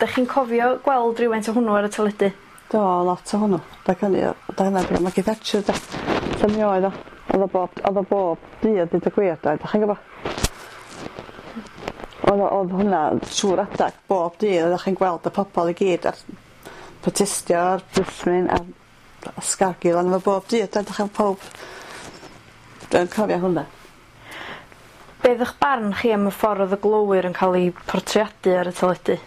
Dach chi'n cofio gweld rywfaint o hwnnw ar y teledu? Do, lot o hwnnw. Da hynny, da hynna, Maggie Thatcher da. So mi oedd o. Oedd o bob, oedd o bob dydd, dweud y gwir, da. Dach chi'n gwybod? Oedd oedd hwnna trwy'r adag, bob dydd, oeddech chi'n gweld y pobl i gyd ar protestio, a'r blismyn, a'r sgargil arno fo bob dydd, da. Dach chi'n pob... Dwi'n cofio hwnna. Be' oedd 'ych barn chi am y ffordd oedd y glowyr yn cael eu portreadu ar y teledu?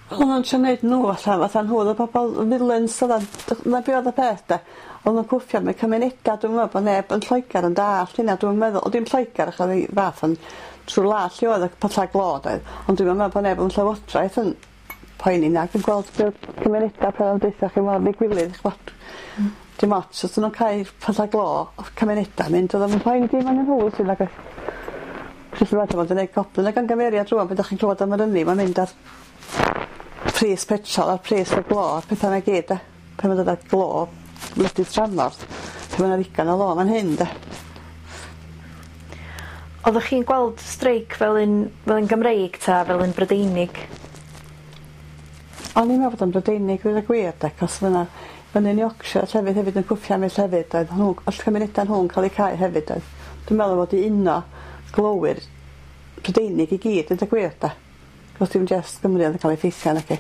O'n nw'n trio neud n'w allan fatha nhw o'dd y bobol villains oddan? 'Na be' o'dd y peth 'de? O'n nw'n cwffio am eu cymuneda dwi'm yn me'wl bo' neb yn Lloegar yn dallt hynna dwi'm yn meddwl on' dim Lloegar achos o'dd 'i fath yn trw'r wlad lle oedd y pylla glo doedd? Ond dwi'm yn me'wl bo' neb yn llywodraeth yn poeni nag yn gweld be' o'dd cymuneda pe o'n deutha chi mor ddigwilydd ch'bod? Dim ots os 'dyn nw'n cau pylla glo o'dd cymuneda mynd o'dd o'm yn poeni dim arnyn nhw felly nag oedd? Jyst yn meddwl bod yn neud goblyn o gangymeriad rŵan pan 'dach chi'n clywed am yr ynni ma'n mynd ar pris petrol a'r pris y glo a'r petha 'na gyd 'de? Pan ma'n dod â glo wledydd tramor pan ma' 'na ddigon o lo fan hyn 'de? Oddech chi'n gweld streic fel un fel un Gymreig 'ta fel un Brydeinig? O'n i'n meddwl bod o'n Brydeinig ddeud y gwir 'de 'cos ma' 'na fyny'n Yorkshire llefydd hefyd yn cwffio am eu llefydd doedd nhw oll cymuneda nhw'n ca'l eu cau hefyd doedd? Dwi'n meddwl fod i uno glowyr Prydeinig i gyd deud y gwir 'de? 'Chos dim jyst Gymru o'dd yn ca'l effeithio naci?